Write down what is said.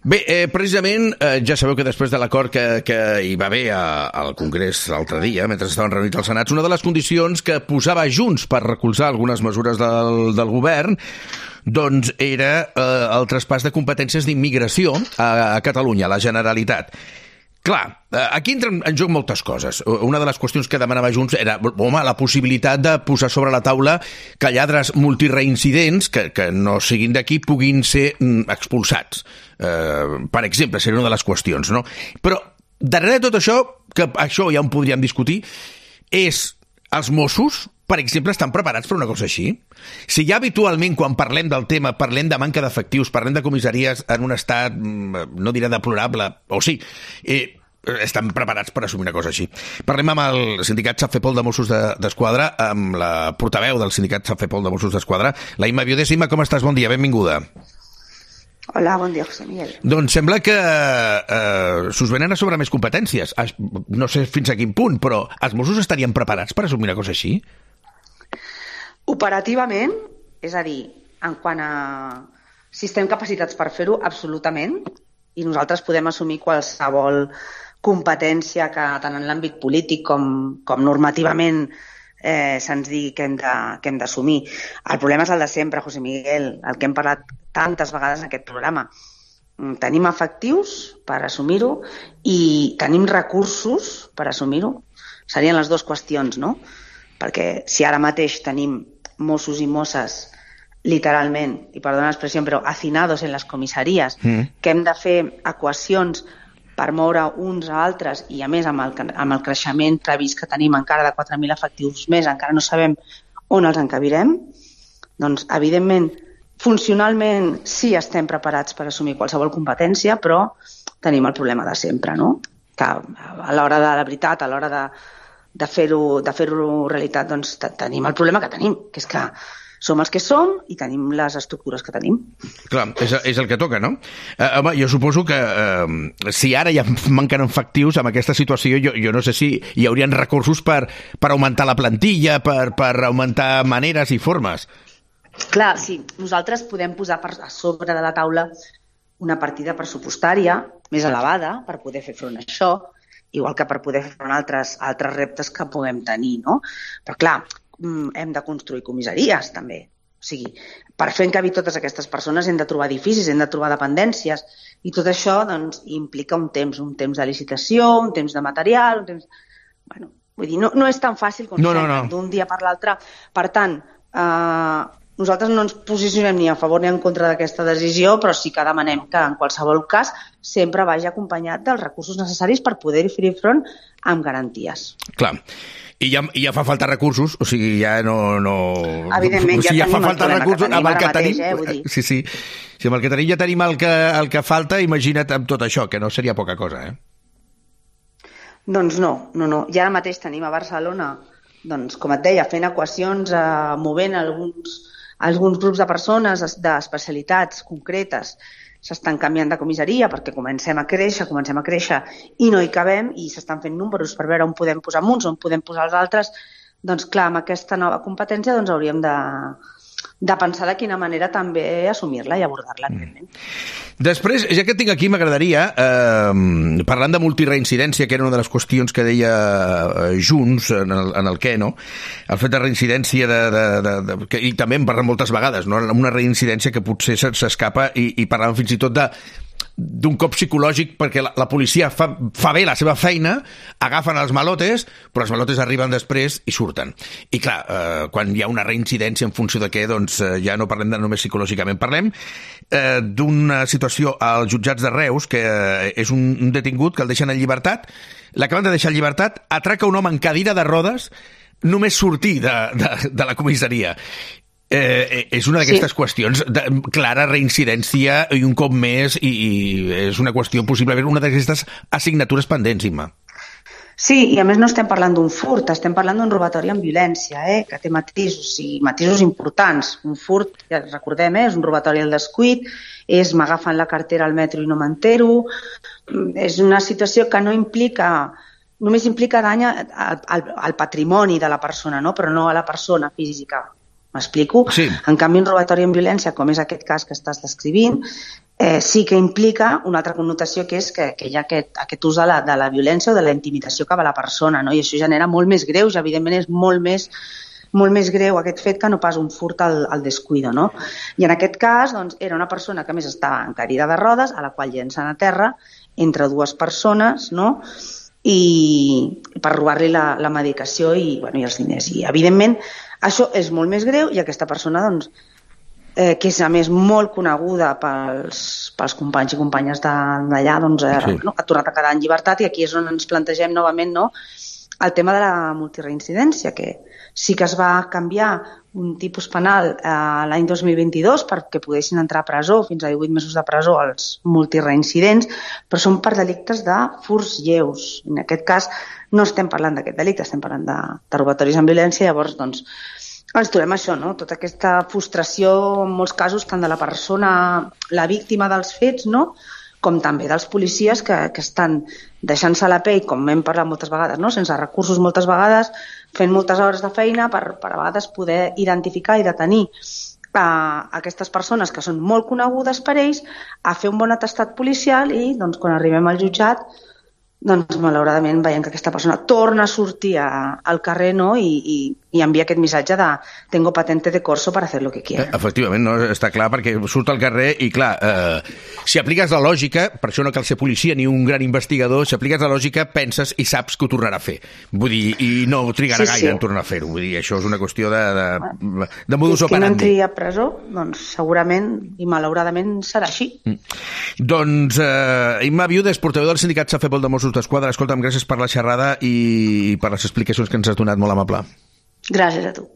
Bé, precisament, ja sabeu que després de l'acord que hi va haver al Congrés l'altre dia, mentre estaven reunits al Senat, una de les condicions que posava Junts per recolzar algunes mesures del govern doncs era el traspàs de competències d'immigració a Catalunya, a la Generalitat. Clar, aquí entren en joc moltes coses. Una de les qüestions que demanava Junts era, la possibilitat de posar sobre la taula que lladres multireincidents que no siguin d'aquí puguin ser expulsats. Per exemple, seria una de les qüestions, no? Però darrere de tot això, que això ja en podríem discutir, és els Mossos, per exemple, estan preparats per una cosa així? Si ja habitualment, quan parlem del tema, parlem de manca d'efectius, parlem de comissaries en un estat, no diré deplorable, o sí, estan preparats per assumir una cosa així. Parlem amb el sindicat Safepol de Mossos d'Esquadra, amb la portaveu del sindicat Safepol de Mossos d'Esquadra, la Imma Viudes. Imma, com estàs? Bon dia, benvinguda. Hola, bon dia, José Miguel. Doncs sembla que s'us venen a sobre més competències. No sé fins a quin punt, però els Mossos estarien preparats per assumir una cosa així? Operativament, és a dir, en quant a si estem capacitats per fer-ho, absolutament, i nosaltres podem assumir qualsevol competència que tant en l'àmbit polític com normativament se'ns digui que hem d'assumir. El problema és el de sempre, José Miguel, el que hem parlat tantes vegades en aquest programa. Tenim efectius per assumir-ho i tenim recursos per assumir-ho. Serien les dues qüestions, no? Perquè si ara mateix tenim Mossos i Mosses literalment, i perdona l'expressió, però hacinados en les comissaries, que hem de fer equacions per moure uns a altres i, a més, amb el creixement previst que tenim encara de 4.000 efectius més, encara no sabem on els encabirem, doncs, evidentment, funcionalment sí estem preparats per assumir qualsevol competència, però tenim el problema de sempre, no? Que a l'hora de la veritat, a l'hora de fer-ho realitat, doncs tenim el problema que tenim, que és que som els que som i tenim les estructures que tenim. Clar, és el que toca, no? Home, jo suposo que si ara ja manquen efectius amb aquesta situació, jo no sé si hi haurien recursos per augmentar la plantilla, per augmentar maneres i formes. Clar, sí, nosaltres podem posar a sobre de la taula una partida pressupostària més elevada per poder fer front a això, igual que per poder fer front a altres reptes que puguem tenir, no? Però clar, hem de construir comissaries també. O sigui, per fer encabi totes aquestes persones hem de trobar edificis, hem de trobar dependències i tot això doncs, implica un temps de licitació, un temps de material, un temps... Bueno, vull dir, no és tan fàcil com d'un dia per l'altre. Per tant, nosaltres no ens posicionem ni a favor ni en contra d'aquesta decisió, però sí que demanem que en qualsevol cas sempre vagi acompanyat dels recursos necessaris per poder-hi fer front amb garanties. Clar. I ja fa falta recursos, o sigui, ja no... Evidentment, ja fa falta recursos amb el que tenim. Sí. Si amb el que tenim ja tenim el que falta, imagina't amb tot això, que no seria poca cosa, Doncs no. Ja ara mateix tenim a Barcelona, doncs, com et deia, fent equacions, movent alguns grups de persones d'especialitats concretes, s'estan canviant de comissaria perquè comencem a créixer i no hi cabem i s'estan fent números per veure on podem posar uns, on podem posar els altres. Doncs clar, amb aquesta nova competència doncs hauríem de pensar de quina manera també assumir-la i abordar-la. Després, ja que tinc aquí, m'agradaria, parlant de multireincidència, que era una de les qüestions que deia Junts en el què, no? El fet de reincidència, i també en parlem moltes vegades, no? Una reincidència que potser s'escapa i parlàvem fins i tot d'un cop psicològic perquè la policia fa bé la seva feina, agafen els malotes, però els malotes arriben després i surten. I clar, quan hi ha una reincidència en funció de què, doncs ja no parlem de només psicològicament, parlem d'una situació als jutjats de Reus, que és un detingut que el deixen en llibertat, l'acaben de deixar en llibertat, atraca un home en cadira de rodes només sortir de la comissaria. És una d'aquestes qüestions de clara reincidència i un cop més, i és una qüestió possiblement una d'aquestes assignatures pendents, Imma. Sí, i a més no estem parlant d'un furt, estem parlant d'un robatori amb violència, que té matisos, i matisos importants. Un furt, ja recordem, és un robatori al descuit, m'agafen la cartera al metro i no m'entero, és una situació que només implica dany al patrimoni de la persona, no? Però no a la persona física. M'explico? Sí. En canvi, un robatori amb violència, com és aquest cas que estàs descrivint, sí que implica una altra connotació, que és que hi ha aquest ús de la violència o de la intimidació cap a la persona, no? I això genera molt més greuge, evidentment és molt més greu aquest fet que no pas un furt al descuido, no? I en aquest cas, doncs, era una persona que a més estava en cadira de rodes, a la qual llencen a terra entre dues persones, no? I per robar-li la medicació i els diners. I, evidentment, això és molt més greu i aquesta persona, doncs, que és a més molt coneguda pels companys i companyes d'allà, doncs, no? Ha tornat a quedar en llibertat i aquí és on ens plantegem novament, no? El tema de la multireincidència, que sí que es va canviar un tipus penal l'any 2022 perquè poguessin entrar a presó, fins a 18 mesos de presó, els multireincidents, però són per delictes de furts lleus. En aquest cas no estem parlant d'aquest delicte, estem parlant de robatoris amb violència, llavors doncs ens trobem això, no? Tota aquesta frustració, en molts casos, tant de la persona, la víctima dels fets, no? Com també dels policies que estan deixant-se la pell, com hem parlat moltes vegades, no? Sense recursos moltes vegades, fent moltes hores de feina per a vegades poder identificar i detenir aquestes persones que són molt conegudes per ells, a fer un bon atestat policial i doncs, quan arribem al jutjat, doncs malauradament veiem que aquesta persona torna a sortir al carrer, no? I envia aquest missatge de tengo patente de corso para hacer lo que quiera. Efectivament, no? Està clar, perquè surt al carrer i clar, si apliques la lògica, per això no cal ser policia ni un gran investigador, si apliques la lògica penses i saps que ho tornarà a fer. Vull dir, i no trigarà gaire en tornar a fer-ho. Vull dir, això és una qüestió de modus operandi. Qui no entri a presó, doncs segurament i malauradament serà així. Doncs Imma Viudes, portaveu del sindicat Safepol de Mossos d'Esquadra, escolta'm, gràcies per la xerrada i per les explicacions que ens has donat, molt amable. Gràcies a tu.